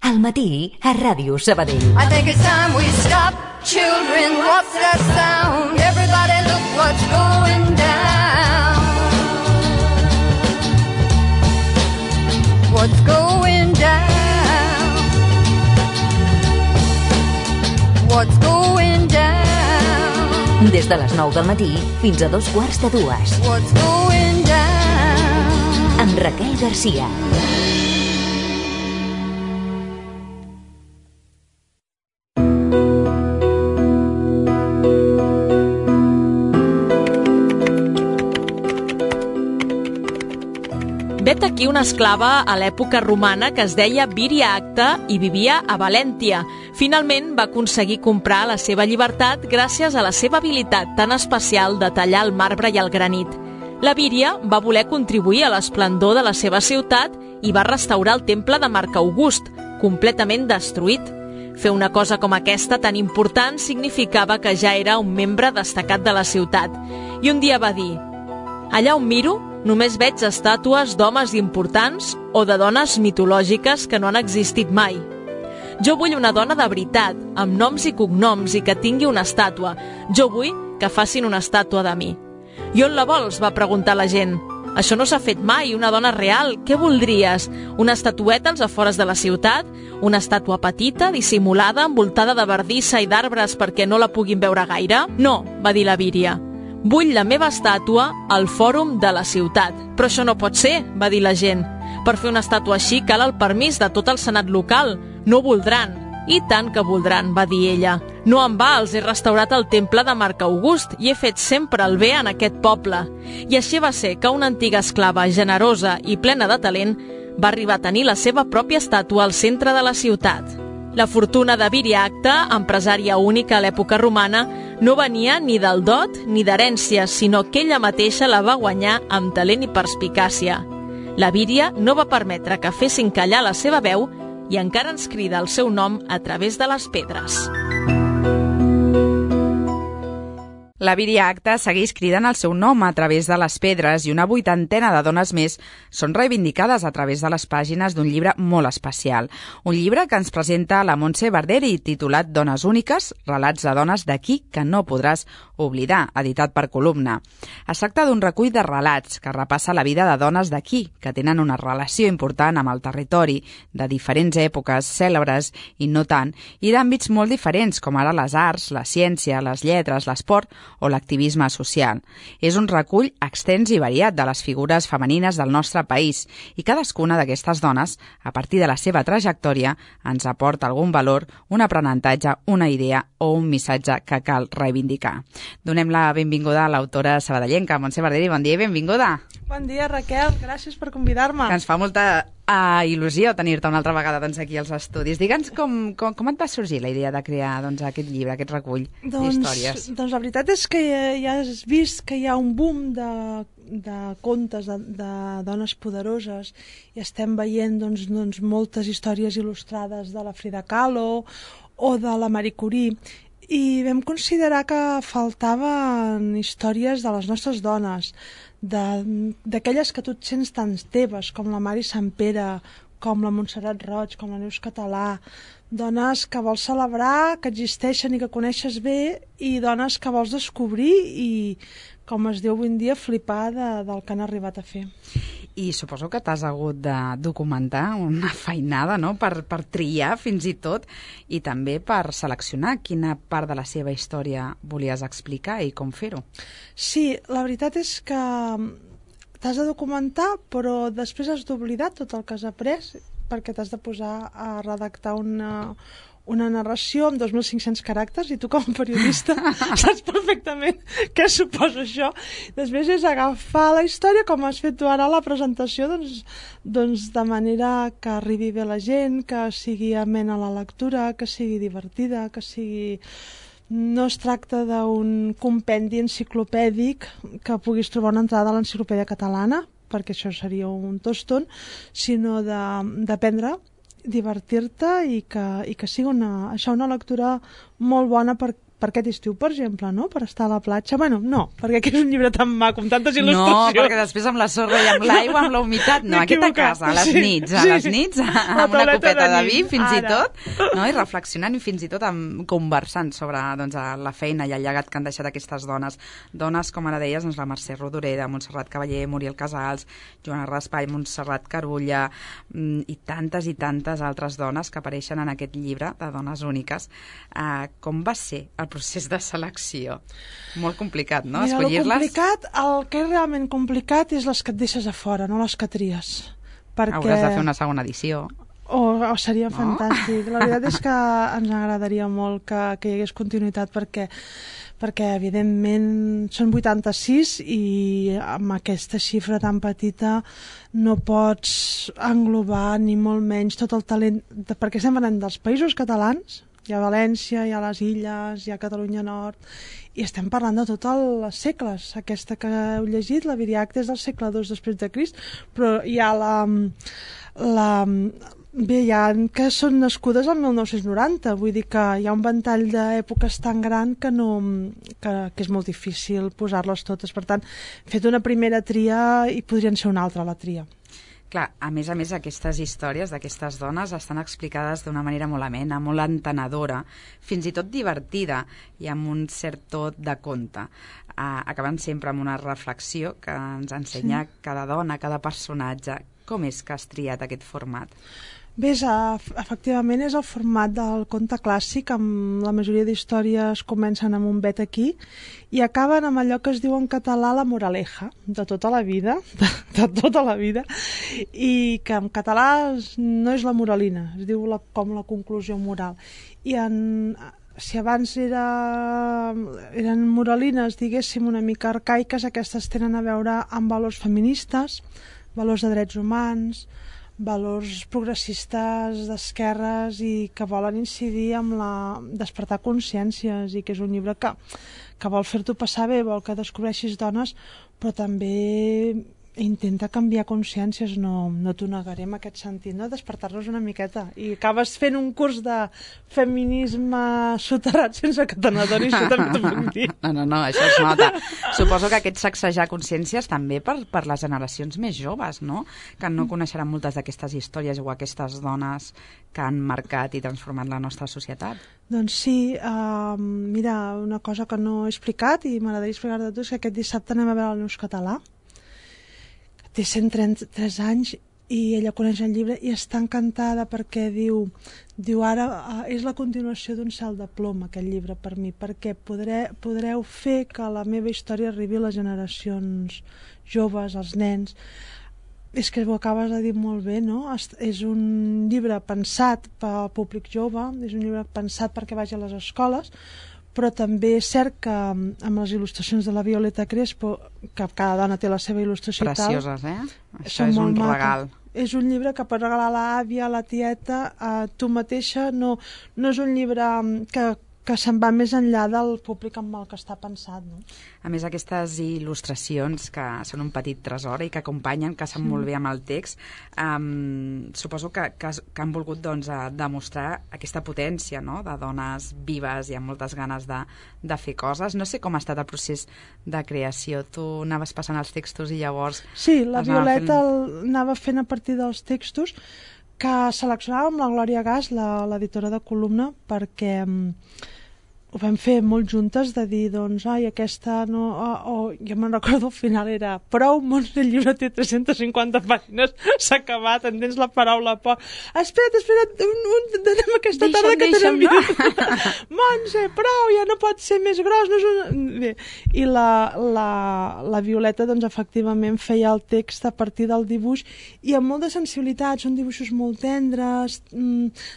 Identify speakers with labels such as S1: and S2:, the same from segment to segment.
S1: Al matí, a Ràdio Sabadell.
S2: I think it's time we stop. Children, what's that sound? Everybody look what's going down. What's going down? What's going down?
S1: Des de les 9 del matí fins a 2:15.
S2: What's going down?
S1: Amb Raquel Garcia.
S3: Vet aquí una esclava a l'època romana que es deia Víria Acta i vivia a Valèntia. Finalment va aconseguir comprar la seva llibertat gràcies a la seva habilitat tan especial de tallar el marbre i el granit. La Víria va voler contribuir a l'esplendor de la seva ciutat i va restaurar el temple de Marc August, completament destruït. Fer una cosa com aquesta tan important significava que ja era un membre destacat de la ciutat. I un dia va dir: allà on miro, només veig estàtues d'homes importants o de dones mitològiques que no han existit mai. Jo vull una dona de veritat, amb noms i cognoms i que tingui una estàtua. Jo vull que facin una estàtua de mi. I on la vols? Va preguntar la gent. Això no s'ha fet mai, una dona real. Què voldries? Una estatueta als afores de la ciutat? Una estàtua petita, dissimulada, envoltada de bardissa i d'arbres perquè no la puguin veure gaire? No, va dir la Víria. Vull la meva estàtua al fòrum de la ciutat. Però això no pot ser, va dir la gent. Per fer una estàtua així cal el permís de tot el senat local. No voldran. I tant que voldran, va dir ella. No em va, els he restaurat el temple de Marc August i he fet sempre el bé en aquest poble. I així va ser que una antiga esclava generosa i plena de talent va arribar a tenir la seva pròpia estàtua al centre de la ciutat. La fortuna de Víria Acta, empresària única a l'època romana, no venia ni del dot ni d'herència, sinó que ella mateixa la va guanyar amb talent i perspicàcia. La Víria no va permetre que fessin callar la seva veu i encara ens crida el seu nom a través de les pedres.
S4: La Víria Acta segueix cridant el seu nom a través de les pedres i una 80ena de dones més són reivindicades a través de les pàgines d'un llibre molt especial. Un llibre que ens presenta la Montse Barderi, titulat Dones úniques, relats de dones d'aquí que no podràs oblidar, editat per Columna. Es tracta d'un recull de relats que repassa la vida de dones d'aquí, que tenen una relació important amb el territori, de diferents èpoques, cèlebres i no tant, i d'àmbits molt diferents, com ara les arts, la ciència, les lletres, l'esport o l'activisme social. És un recull extens i variat de les figures femenines del nostre país i cadascuna d'aquestes dones, a partir de la seva trajectòria, ens aporta algun valor, un aprenentatge, una idea o un missatge que cal reivindicar. Donem la benvinguda a l'autora sabadellenca, Montse Barderi. Bon dia i benvinguda.
S5: Bon dia, Raquel. Gràcies per convidar-me.
S4: Que ens fa molta il·lusió tenir-te una altra vegada aquí als estudis. Digue'ns com et va sorgir la idea de crear aquest llibre, aquest recull d'històries?
S5: Doncs la veritat és que ja has vist que hi ha un boom de contes de dones poderoses i estem veient moltes històries il·lustrades de la Frida Kahlo o de la Marie Curie, i vam considerar que faltaven històries de les nostres dones, d'aquelles que tu et sents tan teves, com la Mari Sampere, com la Montserrat Roig, com la Neus Català, dones que vols celebrar, que existeixen i que coneixes bé, i dones que vols descobrir i, com es diu avui en dia, flipar del que han arribat a fer.
S4: I suposo que t'has hagut de documentar una feinada, no?, per triar fins i tot, i també per seleccionar quina part de la seva història volies explicar i com fer-ho.
S5: Sí, la veritat és que t'has de documentar, però després has d'oblidar tot el que has après, perquè t'has de posar a redactar una narració amb 2.500 caràcters, i tu com a periodista saps perfectament què suposa això. Després és agafar la història, com has fet tu ara a la presentació, doncs de manera que arribi bé la gent, que sigui amena la lectura, que sigui divertida, que sigui... No es tracta d'un compendi enciclopèdic que puguis trobar una entrada a l'enciclopèdia catalana, perquè això seria un tòston, sinó d'aprendre, divertir-te i que sigui una lectura molt bona per per aquest estiu, per exemple, no? Per estar a la platja. Bueno, no, perquè aquí és un llibre tan maco, amb tantes il·lustracions.
S4: No, perquè després amb la sorra i amb l'aigua, amb la humitat, no, aquest a casa, a les nits, amb una copeta de vi, fins i tot, no? I reflexionant i fins i tot conversant sobre doncs, la feina i el llegat que han deixat aquestes dones. Dones, com ara deies, doncs, la Mercè Rodoreda, Montserrat Cavaller, Muriel Casals, Joana Raspall, Montserrat Carulla i tantes altres dones que apareixen en aquest llibre de dones úniques. Com va ser el procés de selecció? Molt complicat, no?
S5: Mira,
S4: escollir-les.
S5: El que és realment complicat és les que et deixes a fora, no les que tries. Perquè...
S4: Hauràs de fer una segona edició.
S5: Seria fantàstic. La veritat és que ens agradaria molt que hi hagués continuïtat perquè evidentment són 86 i amb aquesta xifra tan petita no pots englobar ni molt menys tot el talent, perquè estem parlant dels països catalans, hi ha València, hi ha les Illes, hi ha Catalunya Nord, i estem parlant de tots els segles. Aquesta que heu llegit, la Viriacta, és del segle II després de Crist, però hi ha Bé, hi ha que són nascudes al 1990, vull dir que hi ha un ventall d'èpoques tan gran que és molt difícil posar-les totes. Per tant, he fet una primera tria i podrien ser una altra la tria.
S4: Clar, a més, aquestes històries d'aquestes dones estan explicades d'una manera molt amena, molt entenedora, fins i tot divertida i amb un cert tot de conte. Acabant sempre amb una reflexió que ens ensenya cada dona, cada personatge. Com és que has triat aquest format?
S5: Bé, efectivament és el format del conte clàssic, amb la majoria d'històries comencen amb un vet aquí i acaben amb allò que es diu en català la moraleja, de tota la vida, de tota la vida, i que en català no és la moralina, es diu com la conclusió moral. I si abans eren moralines, diguéssim, una mica arcaiques, aquestes tenen a veure amb valors feministes, valors de drets humans, valors progressistes d'esquerres i que volen incidir amb despertar consciències, i que és un llibre que vol fer-t'ho passar bé, vol que descobreixis dones, però també intenta canviar consciències, no t'ho negaré en aquest sentit, no? Despertar-los una miqueta, i acabes fent un curs de feminisme soterrat sense catenador, i això també t'ho puc dir.
S4: No, això es nota. Suposo que aquest sacsejar consciències també per les generacions més joves, no? Que no coneixeran moltes d'aquestes històries o aquestes dones que han marcat i transformat la nostra societat.
S5: Doncs sí, mira, una cosa que no he explicat i m'agradaria explicar-te a tu és que aquest dissabte anem a veure el Neus Català. Té 133 anys i ella coneix el llibre i està encantada perquè diu ara és la continuació d'un cel de plom, aquest llibre, per mi, perquè podreu fer que la meva història arribi a les generacions joves, als nens. És que ho acabes de dir molt bé, no? És un llibre pensat pel públic jove, és un llibre pensat perquè vagi a les escoles, però també és cert que amb les il·lustracions de la Violeta Crespo, que cada dona té la seva il·lustració
S4: precioses, Això és un regal.
S5: És un llibre que pots regalar a l'àvia, a la tieta, a tu mateixa. No és un llibre que se'n va més enllà del públic amb el que està pensat, no?
S4: A més, aquestes il·lustracions que són un petit tresor i que acompanyen, que estan molt bé amb el text, suposo que han volgut demostrar aquesta potència, no?, de dones vives i amb moltes ganes de fer coses. No sé com ha estat el procés de creació. Tu anaves passant els textos i llavors...
S5: Sí, la Violeta anava fent a partir dels textos que seleccionava amb la Glòria Gas, l'editora de columna, perquè ho vam fer molt juntes, de dir, doncs, aquesta no... jo me'n recordo, al final era prou, Montse, el llibre té 350 pàgines, s'ha acabat, entens la paraula por. Espera't, anem aquesta tarda que tenen minuts. Montse, prou, ja no pot ser més gros. No és Bé, i la Violeta, doncs, efectivament feia el text a partir del dibuix i amb molta sensibilitat, són dibuixos molt tendres,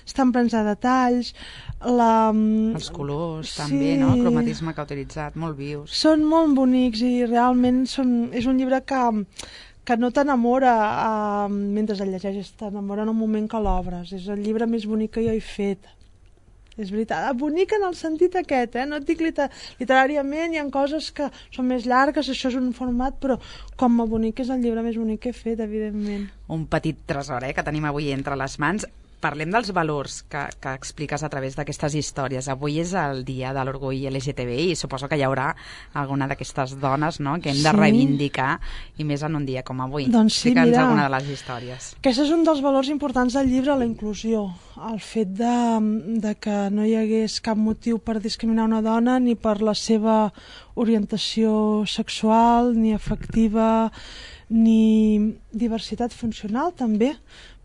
S5: estan plens de detalls,
S4: els colors també, no? El cromatisme que ha utilitzat, molt vius.
S5: Són molt bonics i realment és un llibre que no t'enamora mentre el llegeixes, t'enamora en el moment que l'obres. És el llibre més bonic que jo he fet. És veritat, bonic en el sentit aquest, no et dic literàriament, hi ha coses que són més llargues, això és un format, però com a bonic és el llibre més bonic que he fet, evidentment.
S4: Un petit tresor, que tenim avui entre les mans. parlem dels valors que expliques a través d'aquestes històries. Avui és el dia de l'orgull LGTBI i suposo que hi haurà alguna d'aquestes dones, no?, que hem de reivindicar, i més en un dia com avui.
S5: Doncs sí,
S4: Explica'ns
S5: mira,
S4: alguna de les històries.
S5: Aquest és un dels valors importants del llibre, la inclusió. El fet de que no hi hagués cap motiu per discriminar una dona ni per la seva orientació sexual, ni afectiva, ni diversitat funcional, també.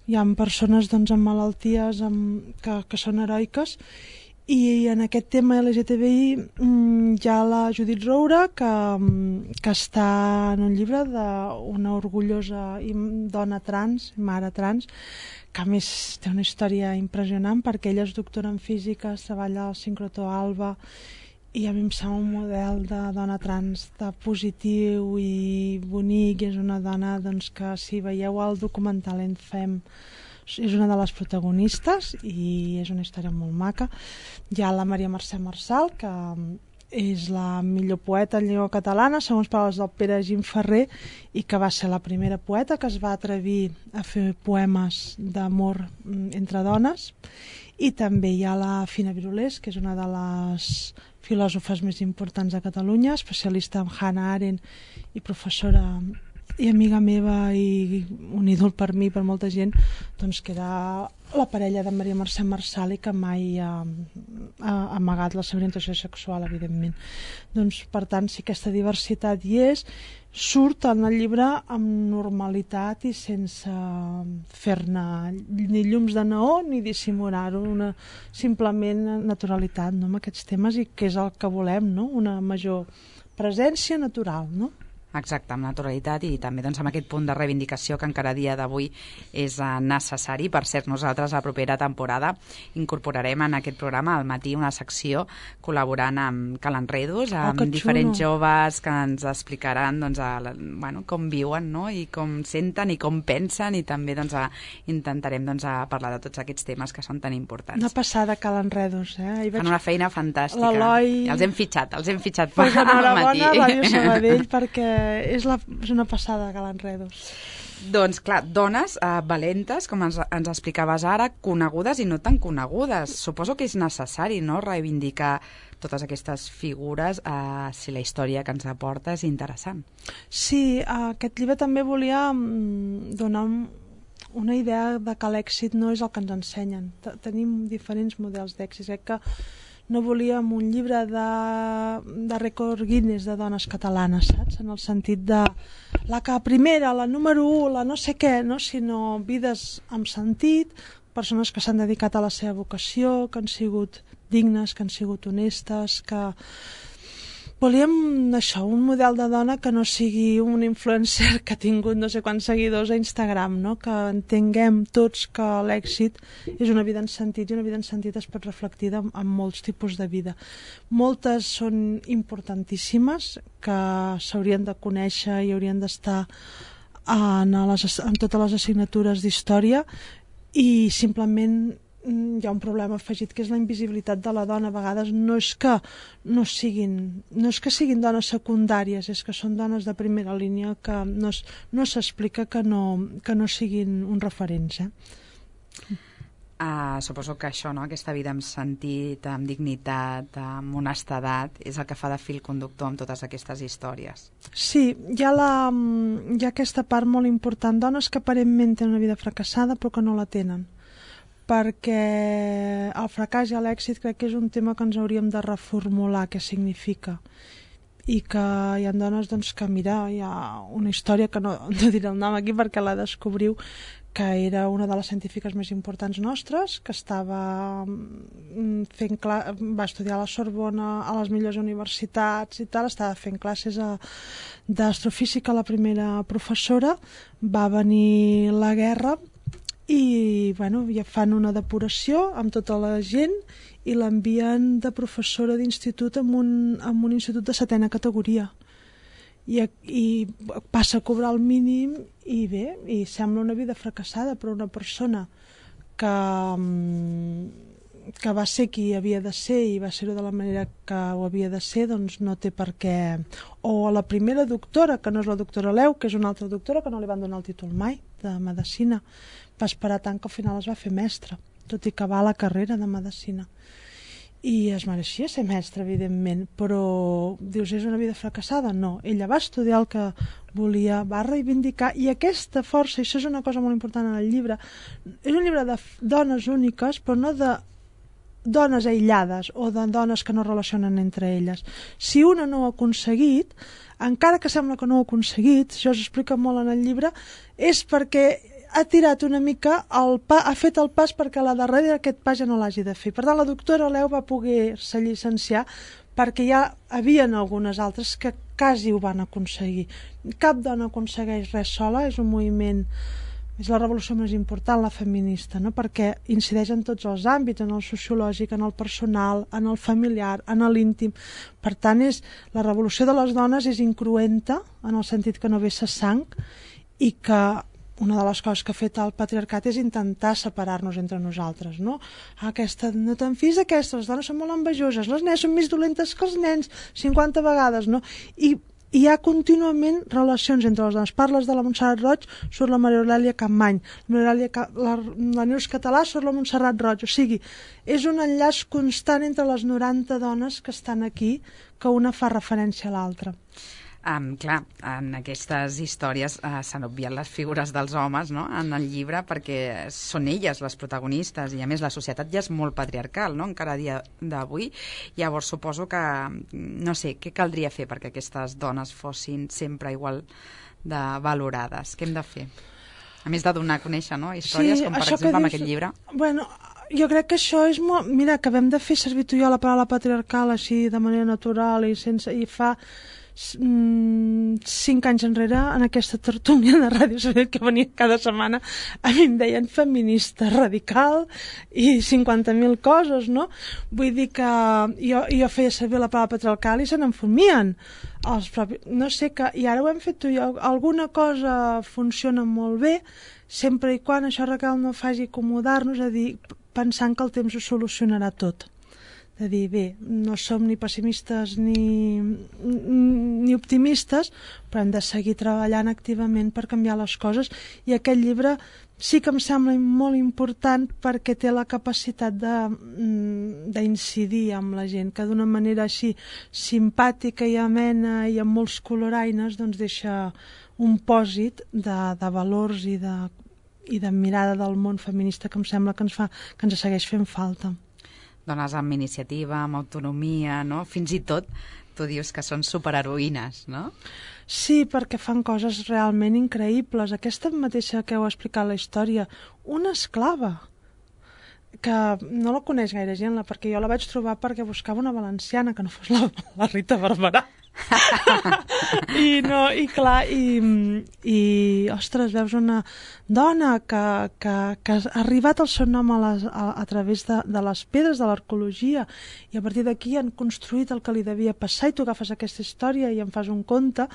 S5: Hi ha persones doncs, amb malalties que són heroiques, i en aquest tema LGTBI hi ha la Judit Roura que està en un llibre d'una orgullosa dona trans, mare trans, que a més té una història impressionant perquè ella és doctora en física, treballa al sincrotró Alba, i a mi em sembla un model de dona trans de positiu i bonic, i és una dona doncs, que si veieu el documental En Fem, és una de les protagonistes i és una història molt maca. Hi ha la Maria Mercè Marçal, que és la millor poeta en llengua catalana, segons paraules del Pere Gimferrer, i que va ser la primera poeta que es va atrevir a fer poemes d'amor entre dones. I també hi ha la Fina Virulés, que és una de les filòsofes més importants de Catalunya, especialista en Hannah Arendt i professora i amiga meva i un ídol per mi, per molta gent, doncs que era la parella de Maria Mercè Marçal i que mai ha amagat la seva orientació sexual, evidentment. Doncs, per tant, si aquesta diversitat hi és, surt en el llibre amb normalitat i sense fer-ne ni llums de neó ni dissimular-ho, simplement naturalitat, no?, amb aquests temes, i que és el que volem, no?, una major presència natural, no?
S4: Exacte, amb naturalitat, i també doncs, amb aquest punt de reivindicació que encara a dia d'avui és necessari. Per cert, nosaltres a la propera temporada incorporarem en aquest programa al matí una secció col·laborant amb Calenredos, amb diferents joves que ens explicaran doncs, com viuen, no?, i com senten i com pensen, i també doncs, intentarem doncs, parlar de tots aquests temes que són tan importants.
S5: Una passada, Calenredos.
S4: Fan una feina fantàstica.
S5: L'Eloi...
S4: Els hem fitxat
S5: pues enhorabona, Ràdio Sabadell, perquè és una passada de Calenredos.
S4: Doncs clar, dones valentes, com ens explicaves ara, conegudes i no tan conegudes. Suposo que és necessari, no?, reivindicar totes aquestes figures si la història que ens aporta és interessant.
S5: Sí, aquest llibre també volia donar una idea de que l'èxit no és el que ens ensenyen. Tenim diferents models d'èxit. Crec que no volíem un llibre de rècord Guinness de dones catalanes, saps? En el sentit de la que primera, la número 1, la no sé què, no? Sinó vides amb sentit, persones que s'han dedicat a la seva vocació, que han sigut dignes, que han sigut honestes, que... Volíem això, un model de dona que no sigui un influencer que ha tingut no sé quants seguidors a Instagram, no? Que entenguem tots que l'èxit és una vida en sentit, i una vida en sentit es pot reflectir en molts tipus de vida. Moltes són importantíssimes, que s'haurien de conèixer i haurien d'estar en totes les assignatures d'història, i simplement hi ha un problema afegit, que és la invisibilitat de la dona. A vegades no és que siguin dones secundàries, és que són dones de primera línia, que no s'explica que no siguin uns referents.
S4: Suposo que això, no?, aquesta vida amb sentit, amb dignitat, amb honestedat, és el que fa de fil conductor amb totes aquestes històries.
S5: Sí, hi ha aquesta part molt important, dones que aparentment tenen una vida fracassada però que no la tenen, perquè el fracàs i l'èxit crec que és un tema que ens hauríem de reformular què significa, i que hi ha dones doncs, que mira, hi ha una història que no diré el nom aquí perquè la descobriu, que era una de les científiques més importants nostres, que va estudiar a la Sorbona, a les millors universitats i tal, estava fent classes d'astrofísica, la primera professora, va venir la guerra i ja fan una depuració amb tota la gent i l'envien de professora d'institut en un institut de 7a categoria, i passa a cobrar el mínim, i bé, i sembla una vida fracassada, però una persona que va ser qui havia de ser i va ser-ho de la manera que ho havia de ser, doncs no té per què. O a la primera doctora, que no és la doctora Leu, que és una altra doctora que no li van donar el títol mai de medicina, va esperar tant que al final es va fer mestra, tot i acabar la carrera de medicina. I es mereixia ser mestra, evidentment, però dius, és una vida fracassada? No, ella va estudiar el que volia, va reivindicar, i aquesta força, i això és una cosa molt important en el llibre, és un llibre de dones úniques, però no de dones aïllades o de dones que no relacionen entre elles. Si una no ho ha aconseguit, encara que sembla que no ho ha aconseguit, això s'explica molt en el llibre, és perquè ha tirat una mica, ha fet el pas perquè la darrere d'aquest pas ja no l'hagi de fer. Per tant, la doctora Leu va poder-se llicenciar perquè ja havien algunes altres que quasi ho van aconseguir. Cap dona aconsegueix res sola, és un moviment, és la revolució més important, la feminista, no? Perquè incideix en tots els àmbits, en el sociològic, en el personal, en el familiar, en l'íntim. Per tant, la revolució de les dones és incruenta, en el sentit que no vessa sang, i que una de les coses que ha fet el patriarcat és intentar separar-nos entre nosaltres, no? Aquesta, no te'n fies d'aquesta, les dones són molt envejoses, les nenes són més dolentes que els nens, 50 vegades, no? I hi ha contínuament relacions entre les dones. Parles de la Montserrat Roig, surt la Maria Aurèlia Capmany, la Neus Català surt la Montserrat Roig, o sigui, és un enllaç constant entre les 90 dones que estan aquí, que una fa referència a l'altra.
S4: Clar, en aquestes històries s'han obviat les figures dels homes, no?, en el llibre, perquè són elles les protagonistes, i a més la societat ja és molt patriarcal, no?, encara a dia d'avui. Llavors suposo que, no sé, què caldria fer perquè aquestes dones fossin sempre igual de valorades? Què hem de fer? A més de donar a conèixer, no?, històries, com per exemple amb aquest llibre.
S5: Bueno, jo crec que això és molt... Mira, acabem de fer servir tu i jo la paraula patriarcal així de manera natural i sense... I fa 5 anys enrere, en aquesta tertúlia de Ràdio Sabadell que venia cada setmana, a mi em deien feminista radical i 50.000 coses, no? Vull dir que jo feia servir la paraula patriarcal i se n'enfumien els propis... No sé, i ara ho hem fet tu i jo. Alguna cosa funciona molt bé, sempre i quan això, Raquel, no faci acomodar-nos, a dir, pensant que el temps ho solucionarà tot. De dir, bé, no som ni pessimistes ni optimistes, però hem de seguir treballant activament per canviar les coses, i aquest llibre sí que em sembla molt important perquè té la capacitat d'incidir amb la gent, que d'una manera així simpàtica i amena i amb molts coloraines doncs deixa un pòsit de valors i de mirada del món feminista que em sembla que ens segueix fent falta.
S4: Dones amb iniciativa, amb autonomia, no? Fins i tot tu dius que són superheroïnes, no?
S5: Sí, perquè fan coses realment increïbles. Aquesta mateixa que heu explicat la història, una esclava, que no la coneix gaire gent, perquè jo la vaig trobar perquè buscava una valenciana que no fos la Rita Barberà. I ostres, veus una dona que ha arribat al seu nom a través de les pedres de l'arqueologia, i a partir d'aquí han construït el que li devia passar, i tu agafes aquesta història i en fas un conte,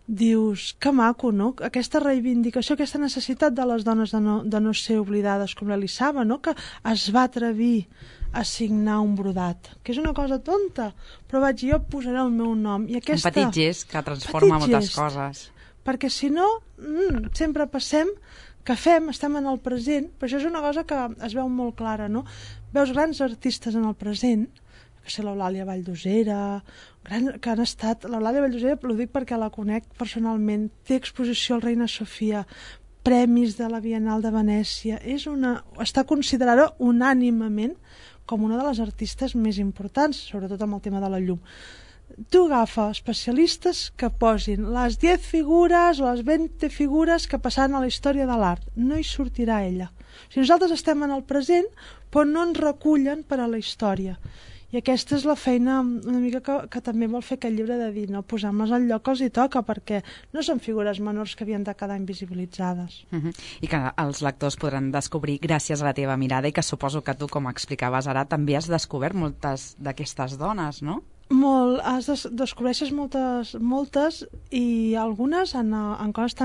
S5: dius, que maco, no? Aquesta reivindicació, aquesta necessitat de les dones de no ser oblidades, com l'Elisava, no?, que es va atrevir a signar un brodat, que és una cosa tonta, però jo posaré el meu nom. I aquesta...
S4: Un petit gest que transforma moltes coses.
S5: Perquè si no, sempre passem que estem en el present, però això és una cosa que es veu molt clara, no? Veus grans artistes en el present, que sé, l'Eulàlia Valldosera, que han estat... L'Eulàlia Valldosera, ho dic perquè la conec personalment, té exposició al Reina Sofia, premis de la Biennal de Venècia, està considerada unànimement com una de les artistes més importants, sobretot amb el tema de la llum. Tu agafa especialistes que posin les 10 figures o les 20 figures que passaran a la història de l'art. No hi sortirà ella. O sigui, nosaltres estem en el present, però no ens recullen per a la història. I aquesta és la feina una mica que també vol fer aquest llibre, de dir, no, posem-les al lloc que els hi toca, perquè no són figures menors que havien de quedar invisibilitzades.
S4: I que els lectors podran descobrir gràcies a la teva mirada, i que suposo que tu, com explicaves ara, també has descobert moltes d'aquestes dones, no?
S5: Descobreixes moltes, i algunes en coses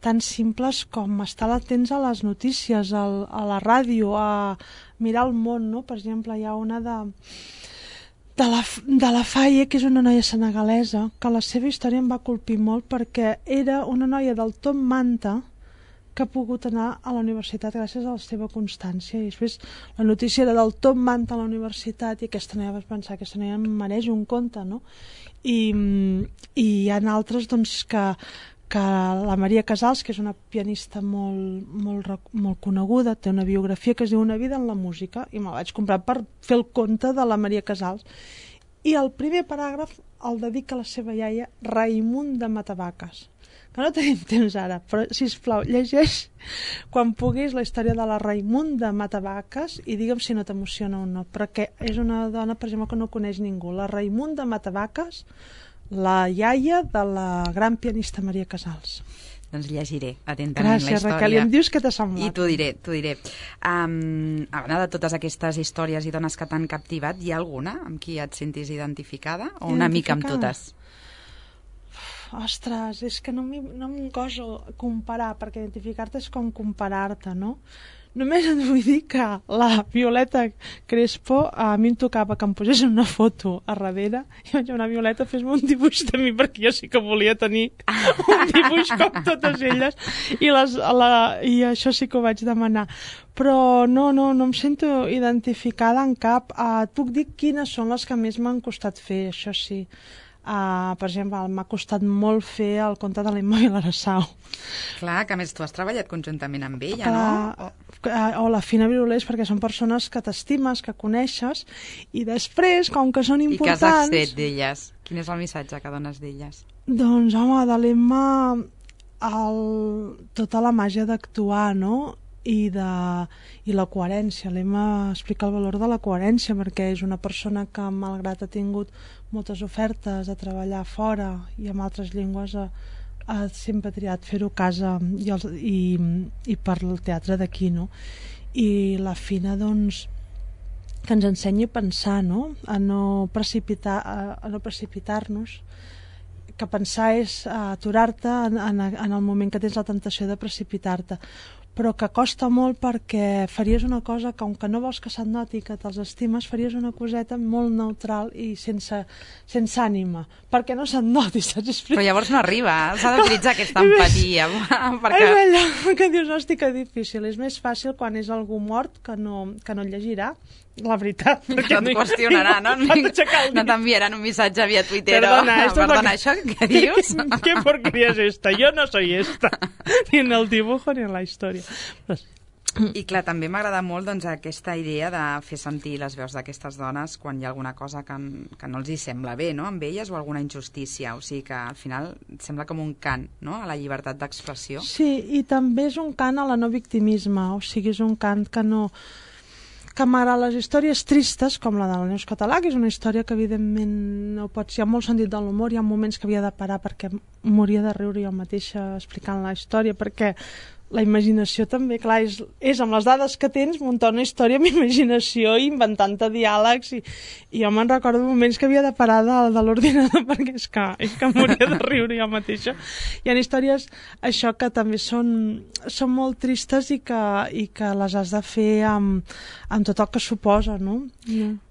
S5: tan simples com estar atents a les notícies, a la ràdio, a mirar el món, no? Per exemple, hi ha una de la Faye, que és una noia senegalesa, que la seva història em va colpir molt perquè era una noia del Top Manta que ha pogut anar a la universitat gràcies a la seva constància. I després la notícia era del top manta a la universitat i aquesta noia vas pensar, aquesta noia em mereix un conte, no? I hi ha altres doncs, que la Maria Casals, que és una pianista molt coneguda, té una biografia que es diu Una vida en la música, i me'l vaig comprar per fer el conte de la Maria Casals. I el primer paràgraf el dedica a la seva iaia Raimund de Matavaques, que no tenim temps ara, però sisplau, llegeix quan puguis la història de la Raimund de Matavaques i digue'm si no t'emociona o no, perquè és una dona, per exemple, que no coneix ningú. La Raimund de Matavaques, la iaia de la gran pianista Maria Casals.
S4: Doncs llegiré atentament la història.
S5: Gràcies, Raquel, i em dius què t'ha semblat.
S4: I t'ho diré. A banda de totes aquestes històries i dones que t'han captivat, hi ha alguna amb qui et sentis identificada? O una mica amb totes?
S5: Ostres, és que no em goso comparar, perquè identificar-te és com comparar-te, no? Només et vull dir que la Violeta Crespo a mi em tocava que em posés una foto a darrere i vaig dir, Violeta, fes-me un dibuix de mi, perquè jo sí que volia tenir un dibuix com totes elles i això sí que ho vaig demanar. Però no em sento identificada en cap. Et puc dir quines són les que més m'han costat fer, això sí. Per exemple, m'ha costat molt fer el conte de l'Emma Vilarasau.
S4: Clar, que a més tu has treballat conjuntament amb ella, no?
S5: O la Fina Virulés, perquè són persones que t'estimes, que coneixes, i després, com que són importants...
S4: I què has fet d'elles? Quin és el missatge que dones d'elles?
S5: Doncs, home, de l'Emma tota la màgia d'actuar, no? I la coherència. L'Emma explica el valor de la coherència, perquè és una persona que, malgrat ha tingut moltes ofertes de treballar fora i amb altres llengües, ha sempre triat fer-ho a casa i per el teatre d'aquí, no? I la Fina, doncs, que ens ensenyi a pensar, no? A no precipitar-nos, que pensar és aturar-te en el moment que tens la tentació de precipitar-te, però que costa molt, perquè faries una cosa que, com que no vols que se't noti que te'ls estimes, faries una coseta molt neutral i sense ànima, perquè no se't noti, saps explicar?
S4: Però llavors no arriba, s'ha d'utilitzar aquesta empatia.
S5: És allò que dius, hosti, que difícil. És més fàcil quan és algú mort que no et llegirà, la veritat.
S4: No et qüestionarà, no? No t'enviaran un missatge via Twitter. Perdona, això què dius?
S5: ¿Qué porquería es esta? Yo no soy esta. Ni en el dibujo ni en la història.
S4: I clar, també m'agrada molt doncs, aquesta idea de fer sentir les veus d'aquestes dones quan hi ha alguna cosa que no els hi sembla bé, no?, amb elles, o alguna injustícia. O sigui que al final sembla com un cant, no?, a la llibertat d'expressió.
S5: Sí, i també és un cant a la no victimisme, o sigui, és un cant que malgrat les històries tristes, com la de la Neus Català, que és una història que evidentment no pots... Hi ha molt sentit de l'humor, hi ha moments que havia de parar perquè moria de riure jo mateixa explicant la història, perquè la imaginació també, clar, és amb les dades que tens muntar una història amb imaginació i inventant-te diàlegs, i jo me'n recordo moments que havia de parar de l'ordinador perquè és que moria de riure jo mateixa. Hi ha històries, això, que també són molt tristes i que les has de fer amb tot el que suposa, no?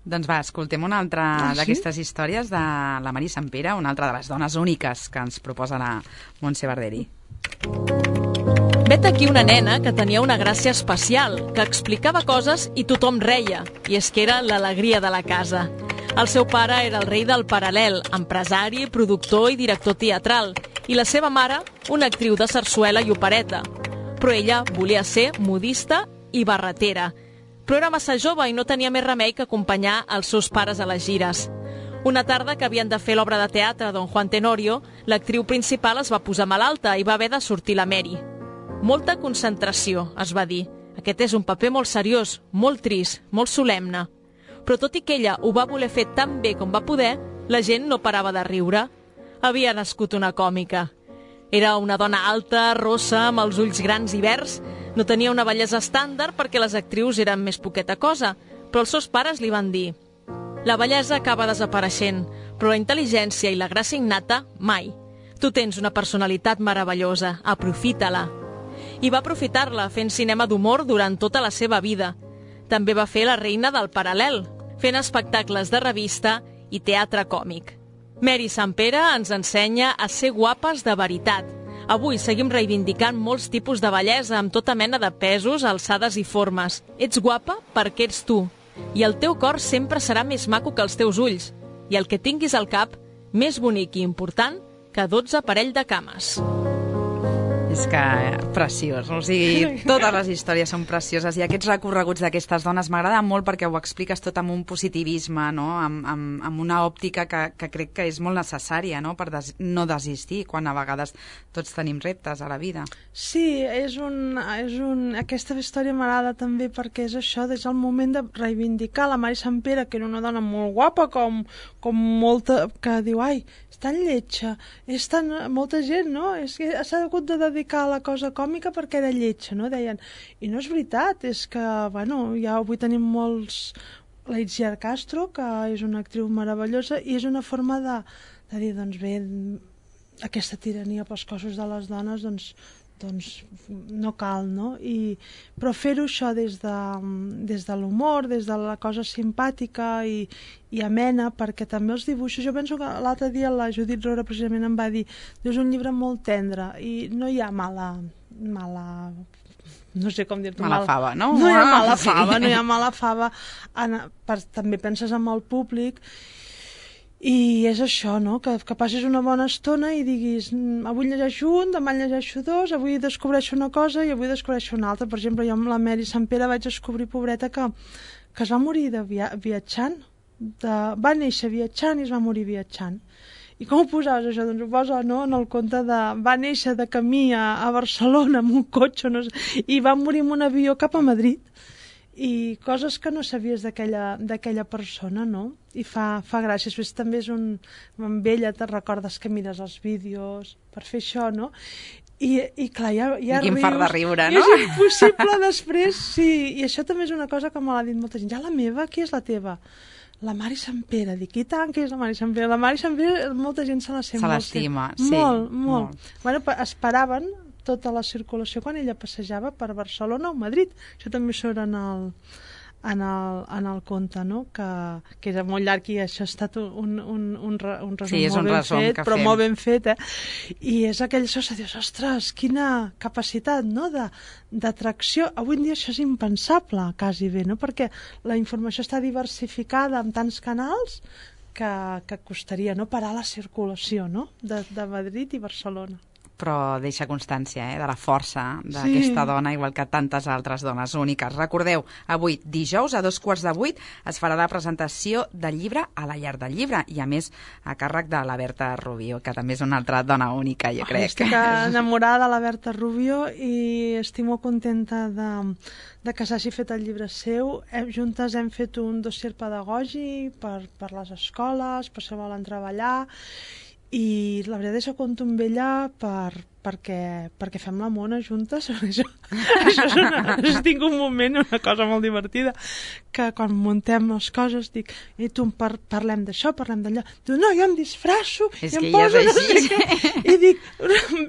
S4: Doncs va, escoltem una altra d'aquestes històries de la Mari Sampere, una altra de les dones úniques que ens proposa la Montse Barderi.
S3: Vet aquí una nena que tenia una gràcia especial, que explicava coses i tothom reia, i és que era l'alegria de la casa. El seu pare era el rei del paral·lel, empresari, productor i director teatral, i la seva mare, una actriu de sarsuela i opereta. Però ella volia ser modista i barretera. Però era massa jove i no tenia més remei que acompanyar els seus pares a les gires. Una tarda que havien de fer l'obra de teatre Don Juan Tenorio, l'actriu principal es va posar malalta i va haver de sortir la Mary. Molta concentració, es va dir. Aquest és un paper molt seriós, molt trist, molt solemne. Però tot i que ella ho va voler fer tan bé com va poder, la gent no parava de riure. Havia nascut una còmica. Era una dona alta, rossa, amb els ulls grans i verds. No tenia una bellesa estàndard perquè les actrius eren més poqueta cosa, però els seus pares li van dir: la bellesa acaba desapareixent, però la intel·ligència i la gràcia innata, mai. Tu tens una personalitat meravellosa, aprofita-la. I va aprofitar-la fent cinema d'humor durant tota la seva vida. També va fer La reina del paral·lel, fent espectacles de revista i teatre còmic. Mary Sampere ens ensenya a ser guapes de veritat, Avui seguim reivindicant molts tipus de bellesa amb tota mena de pesos, alçades i formes. Ets guapa perquè ets tu. I el teu cor sempre serà més maco que els teus ulls. I el que tinguis al cap, més bonic i important que 12 parell de cames.
S4: És que preciós, o sigui, totes les històries són precioses i aquests recorreguts d'aquestes dones m'agrada molt perquè ho expliques tot amb un positivisme, no? Amb una òptica que crec que és molt necessària, no? Per no desistir quan a vegades tots tenim reptes a la vida.
S5: Sí, aquesta història m'agrada també perquè és això, des del moment de reivindicar la Mari Sant Pere, que era una dona molt guapa, com molta, que diu, ai, és tan lletja, és tan... molta gent, no? És que s'ha hagut de dedicar a la cosa còmica perquè era lletja, no? Deien. I no és veritat, és que, bueno, ja avui tenim molts... La Itziar Castro, que és una actriu meravellosa, i és una forma de dir, doncs bé, aquesta tirania pels cossos de les dones, doncs no cal, no? Però fer-ho això des de l'humor, des de la cosa simpàtica i amena, perquè també els dibuixos... Jo penso que l'altre dia la Judit Rora precisament em va dir, és un llibre molt tendre i no hi ha mala no sé com dir-t'ho.
S4: Mala fava, no?
S5: No hi ha mala fava, no hi ha mala fava. També penses en el públic. I és això, no? Que passis una bona estona i diguis, avui llegeixo un, demà llegeixo dos, avui descobreixo una cosa i avui descobreixo una altra. Per exemple, jo amb la Mary Sant Pere vaig descobrir, pobreta, que es va morir viatjant. Va néixer viatjant i es va morir viatjant. I com ho posaves, això? Doncs ho posa, no?, en el conte de... Va néixer de camí a Barcelona amb un cotxe, no sé, i va morir amb un avió cap a Madrid. I coses que no sabies d'aquella persona, no? I fa gràcia. Després també és amb ella te'n recordes que mires els vídeos per fer això, no? I clar, ja
S4: quin
S5: rius.
S4: fart de riure, no?
S5: És impossible després, sí. I això també és una cosa que me l'ha dit molta gent. Ja la meva, qui és la teva? La Mari Sant Pere. Dic, i tant que és la Mari Sant Pere. La Mari Sant Pere, molta gent se la sent.
S4: Se l'estima, sí.
S5: Molt. Bueno, esperaven tota la circulació quan ella passejava per Barcelona o Madrid. Això també surt en el conte, no? Que era molt llarg i això ha estat un resum,
S4: sí, és un resum
S5: fet,
S4: que
S5: però
S4: fem.
S5: molt ben fet, I és aquell so que dius, ostres, quina capacitat, no?, d'atracció. Avui en dia això és impensable, quasi bé, no? Perquè la informació està diversificada en tants canals que costaria, no?, parar la circulació, no?, de Madrid i Barcelona.
S4: Però deixa constància de la força d'aquesta dona, igual que tantes altres dones úniques. Recordeu, avui, dijous, a 7:15, es farà la presentació del llibre a la Llar del Llibre, i a més a càrrec de la Berta Rubio, que també és una altra dona única, jo crec.
S5: Estic enamorada de la Berta Rubio i estic molt contenta de que s'hagi fet el llibre seu. Juntes hem fet un dossier pedagògic per les escoles, per si volen treballar, i la veritat és que compto amb ella perquè fem la mona juntes. Això tinc un moment, una cosa molt divertida, que quan muntem les coses dic, i tu parlem d'això, parlem d'allò. Diu, no, jo em disfrasso
S4: és
S5: i em
S4: poso
S5: no sé què. I dic,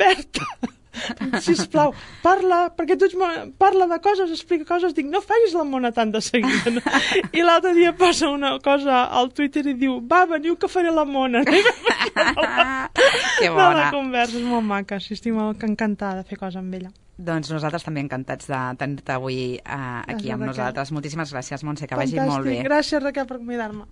S5: Berta, sisplau, perquè tu parla de coses, explica coses, dic, no facis la mona tan de seguida, no? I l'altre dia posa una cosa al Twitter i diu, va, veniu que faré la mona.
S4: Que bona.
S5: La conversa és molt maca, sí, estic molt encantada de fer coses amb ella.
S4: Doncs nosaltres també encantats de tenir-te avui aquí amb nosaltres. Moltíssimes gràcies, Montse, que vagi molt bé.
S5: Gràcies, Raquel, per convidar-me.